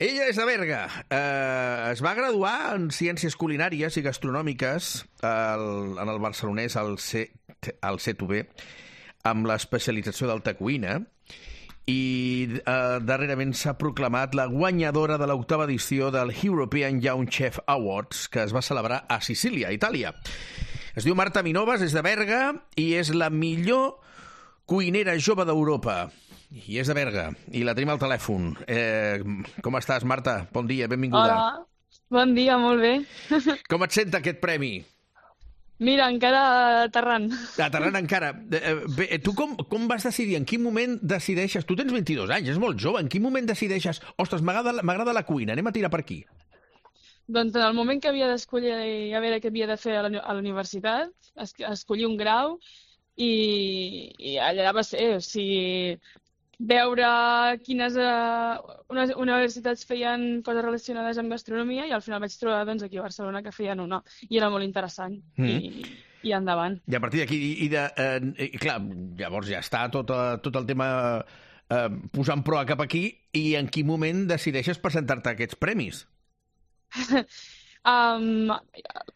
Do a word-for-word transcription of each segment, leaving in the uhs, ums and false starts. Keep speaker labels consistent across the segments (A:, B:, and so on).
A: Ella és de Berga. Uh, es va graduar en Ciències Culinàries i Gastronòmiques al, en el barcelonès al C, al C T U B amb l'especialització d'alta cuina i uh, darrerament s'ha proclamat la guanyadora de l'octava edició del European Young Chef Awards, que es va celebrar a Sicília, Itàlia. Es diu Marta Minovas, és de Berga i és la millor cuinera jove d'Europa. I és de Berga, i la tenim al telèfon. Eh, com estàs, Marta? Bon dia, benvinguda.
B: Hola, bon dia, molt bé.
A: Com et senta aquest premi?
B: Mira, encara aterrant.
A: Aterrant encara. Bé, tu com, com vas decidir? En quin moment decideixes? Tu tens vint-i-dos anys, és molt jove. En quin moment decideixes? Ostres, m'agrada la cuina, anem a tirar per aquí.
B: Doncs en el moment que havia d'escollir a veure què havia de fer a la universitat, es, escollir un grau i, i allà va ser, o sigui, veure quines uh, universitats feien coses relacionades amb gastronomia i al final vaig trobar doncs, aquí a Barcelona que feien una i era molt interessant mm. i, i endavant.
A: I a partir d'aquí, i de, eh, i clar, llavors ja està tot, uh, tot el tema eh, posant proa cap aquí i en quin moment decideixes presentar-te a aquests premis?
B: um,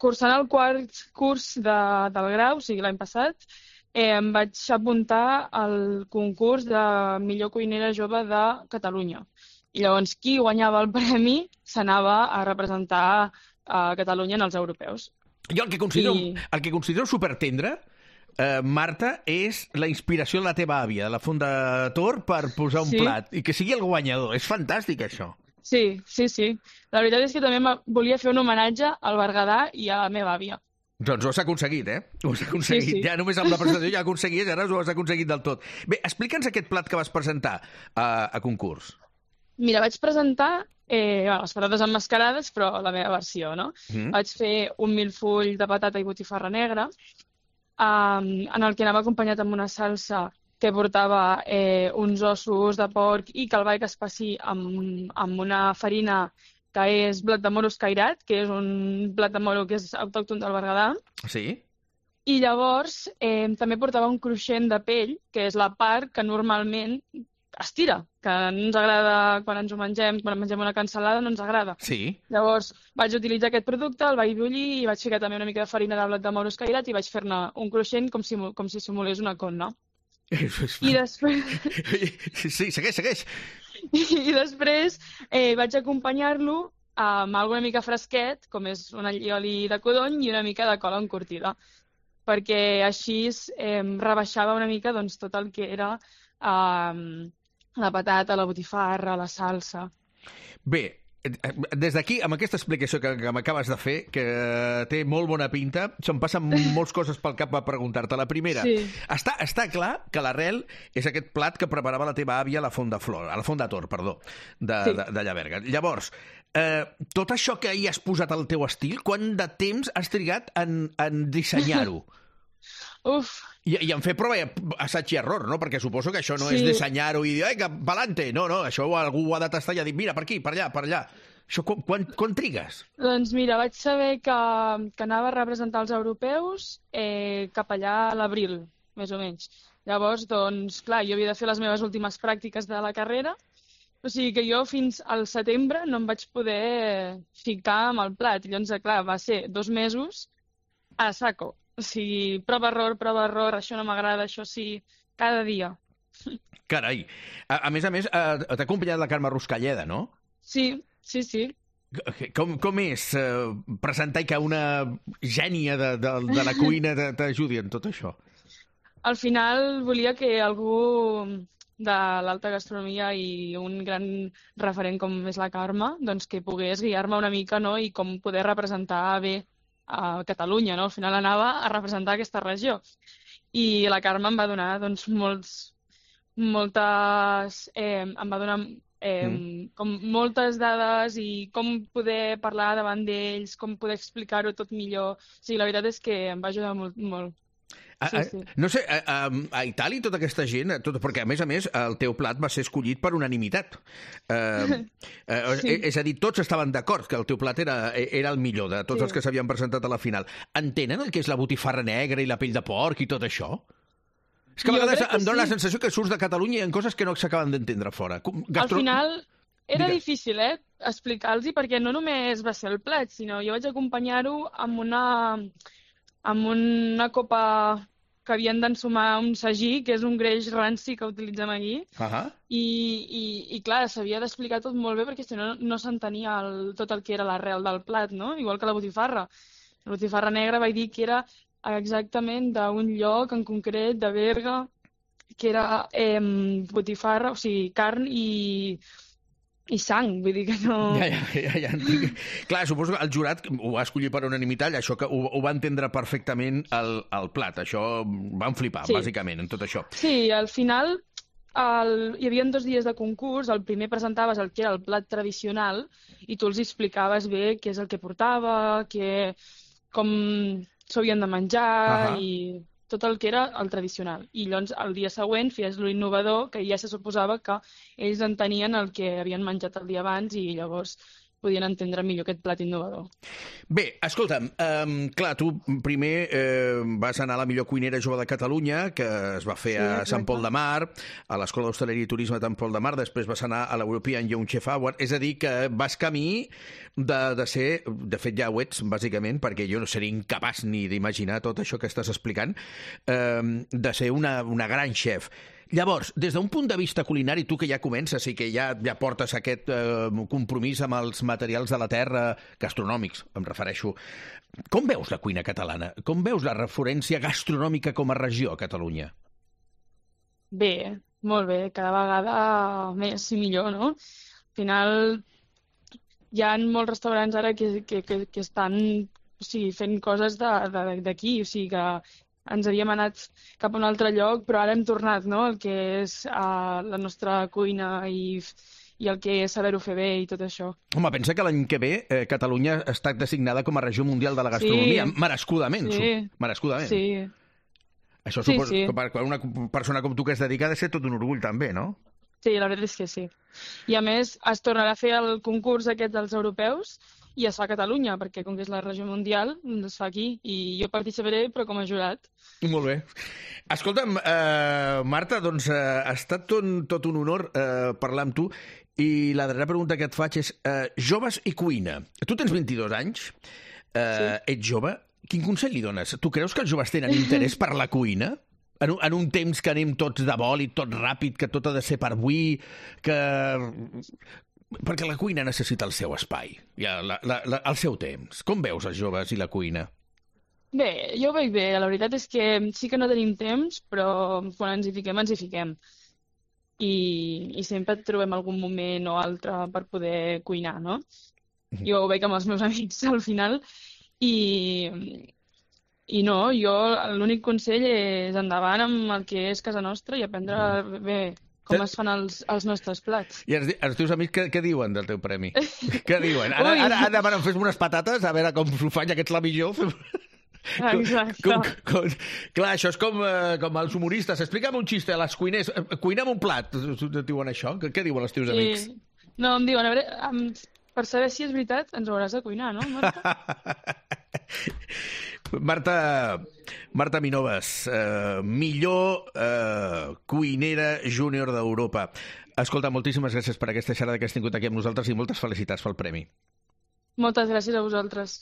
B: cursant el quart curs de, del grau, o sigui l'any passat, Eh, em vaig apuntar al concurs de millor cuinera jove de Catalunya. I llavors, qui guanyava el premi s'anava a representar a Catalunya en els europeus.
A: Jo el que considero, I... el que considero supertendre, eh, Marta, és la inspiració de la teva àvia, de la Fondator, per posar un sí. plat i que sigui el guanyador. És fantàstic, això.
B: Sí, sí, sí. La veritat és que també volia fer un homenatge al Berguedà i a la meva àvia.
A: Doncs ho has aconseguit, eh? Ho has aconseguit. Sí, sí. Ja només amb la presentació ja aconseguies, ara ho has aconseguit del tot. Bé, explica'ns aquest plat que vas presentar a, a concurs.
B: Mira, vaig presentar eh, bueno, les patates emmascarades, però la meva versió, no? Mm. Vaig fer un milfull de patata i botifarra negra, um, en el que anava acompanyat amb una salsa que portava eh, uns ossos de porc i que el vaig espessir amb, amb una farina que és blat de moro escairat, que és un blat de moro que és autòcton del Berguedà.
A: Sí.
B: I llavors eh, també portava un cruixent de pell, que és la part que normalment es tira, que no ens agrada quan ens ho mengem, quan mengem una cansalada no ens agrada.
A: Sí.
B: Llavors vaig utilitzar aquest producte, el vaig bullir i vaig ficar també una mica de farina de blat de moro escairat i vaig fer-ne un cruixent com si, com si simulés una conna. I després...
A: Sí, segueix, segueix.
B: I després eh, vaig acompanyar-lo amb alguna mica fresquet, com és un allioli de codony i una mica de cola encurtida, perquè així eh, rebaixava una mica doncs, tot el que era eh, la patata, la botifarra, la salsa.
A: Bé, des d'aquí, amb aquesta explicació que, que m'acabes de fer, que té molt bona pinta, se'm passen moltes coses pel cap a preguntar-te. La primera, sí. està, està clar que l'arrel és aquest plat que preparava la teva àvia a la Font de Flor, a la Font de Tor, perdó, de, sí. de, de Llaberga. Llavors, eh, tot això que hi has posat al teu estil, quant de temps has trigat en, en dissenyar-ho?
B: Uf!
A: I, I en fer prova i assaig i error, no? Perquè suposo que això no sí. és dissenyar-ho i dir, ai, que pa'lante! No, no, això algú ho ha de tastar i ha dit, mira, per aquí, per allà, per allà. Això, quan, quan, quan trigues?
B: Doncs mira, vaig saber que, que anava a representar els europeus eh, cap allà a l'abril, més o menys. Llavors, doncs, clar, jo havia de fer les meves últimes pràctiques de la carrera, o sigui que jo fins al setembre no em vaig poder ficar amb el plat. I llavors, clar, va ser dos mesos a saco. O sigui, prova-error, prova-error, això no m'agrada, això sí, cada dia.
A: Carai. A, a més a més, t'ha acompanyat la Carme Ruscalleda, no?
B: Sí, sí, sí.
A: Com, com és eh, presentar que una gènia de, de, de la cuina t'ajudi en tot això?
B: Al final volia que algú de l'alta gastronomia i un gran referent com és la Carme, doncs que pogués guiar-me una mica, no? I com poder representar bé a Catalunya, no? Al final anava a representar aquesta regió. I la Carme em va donar doncs, molts, moltes... Eh, em va donar eh, mm. com moltes dades i com poder parlar davant d'ells, com poder explicar-ho tot millor. O sigui, la veritat és que em va ajudar molt, molt.
A: A,
B: Sí, sí.
A: A, no sé, a, a, a Itàlia tota aquesta gent, tot, perquè a més a més el teu plat va ser escollit per unanimitat. Uh, uh, sí. És a dir, tots estaven d'acord que el teu plat era, era el millor de tots sí. els que s'havien presentat a la final. Entenen el que és la botifarra negra i la pell de porc i tot això? És que a vegades em dóna sí. la sensació que surts de Catalunya i hi ha coses que no s'acaben d'entendre fora. Gastro...
B: Al final era
A: Digue.
B: difícil, eh? explicar-los, perquè no només va ser el plat, sinó jo vaig acompanyar-ho amb una, amb una copa que havien d'ensumar un sagí, que és un greix ranci que utilitzem aquí,
A: uh-huh.
B: i, i, i clar, s'havia d'explicar tot molt bé perquè si no no s'entenia el, tot el que era l'arrel del plat, no? Igual que la botifarra. La botifarra negra vaig dir que era exactament d'un lloc en concret, de Berga, que era eh, botifarra, o sigui, carn i, i sang, vull dir que no...
A: Ja, ja, ja, ja. Clar, suposo que el jurat ho va escollir per unanimitat, això que ho, ho va entendre perfectament el, el plat, això van flipar, sí. Bàsicament, en tot això.
B: Sí, al final el... hi havia dos dies de concurs, el primer presentaves el que era el plat tradicional i tu els explicaves bé què és el que portava, que... com s'havien de menjar uh-huh. i tot el que era el tradicional. I llavors el dia següent feies l'innovador, que ja se suposava que ells entenien el que havien menjat el dia abans i llavors podien entendre millor aquest plat innovador.
A: Bé, escolta'm, um, clar, tu primer eh, vas anar a la millor cuinera jove de Catalunya, que es va fer sí, a Sant Pol de Mar, a l'Escola d'Hostaleria i Turisme de Sant Pol de Mar, després vas anar a l'European Young Chef Award, és a dir, que vas camí de, de ser, de fet ja ho ets, bàsicament, perquè jo no seria incapaç ni d'imaginar tot això que estàs explicant, eh, de ser una, una gran chef. Llavors, des d'un punt de vista culinari, tu que ja comences i que ja, ja portes aquest eh, compromís amb els materials de la terra, gastronòmics, em refereixo, com veus la cuina catalana? Com veus la referència gastronòmica com a regió a Catalunya?
B: Bé, molt bé, cada vegada més i millor, no? Al final hi ha molts restaurants ara que, que, que, que estan o sigui, fent coses d'aquí, o sigui que ens havíem anat cap a un altre lloc, però ara hem tornat, no?, el que és uh, la nostra cuina i, i el que és saber-ho fer bé i tot això.
A: Home, pensa que l'any que ve eh, Catalunya ha estat designada com a regió mundial de la gastronomia, sí. merescudament.
B: Sí.
A: Merescudament.
B: Sí.
A: Això suposo sí, sí. que per una persona com tu que es dedica ha de ser tot un orgull també, no?
B: Sí, la veritat és que sí. I a més es tornarà a fer el concurs aquest dels europeus i es fa a Catalunya, perquè com que és la regió mundial, es fa aquí. I jo participaré, però com a jurat.
A: Molt bé. Escolta'm, eh, Marta, doncs eh, ha estat tot, tot un honor eh, parlar amb tu i la darrera pregunta que et faig és eh, joves i cuina. Tu tens vint-i-dos anys, eh, sí. ets jove. Quin consell li dones? Tu creus que els joves tenen interès per la cuina? En un, en un temps que anem tots de vol i tot ràpid, que tot ha de ser per avui, que... Perquè la cuina necessita el seu espai, ja, la, la, la, el seu temps. Com veus els joves i la cuina?
B: Bé, jo ho veig bé. La veritat és que sí que no tenim temps, però quan ens hi fiquem, ens hi fiquem. I, i sempre trobem algun moment o altre per poder cuinar, no? Mm-hmm. Jo ho veig amb els meus amics al final i, i no, jo l'únic consell és endavant amb el que és casa nostra i aprendre mm-hmm. bé com es fan els, els nostres plats. I
A: els, els teus amics què, què diuen del teu premi? Què diuen? Ara, ara, ara, ara fes unes patates, a veure com s'ho fan aquest la millor.
B: Exacte.
A: Com, com, clar, això és com, eh, com els humoristes. Explica'm un xiste a les cuiners. Cuina'm un plat. Et diuen això? Què, què diuen els teus sí. amics?
B: No, em diuen, a veure, em, per saber si és veritat, ens ho hauràs de cuinar, no, Marta?
A: Marta, Marta Minoves, eh, millor eh, cuinera júnior d'Europa. Escolta, moltíssimes gràcies per aquesta xerrada que has tingut aquí amb nosaltres i moltes felicitats pel premi.
B: Moltes gràcies a vosaltres.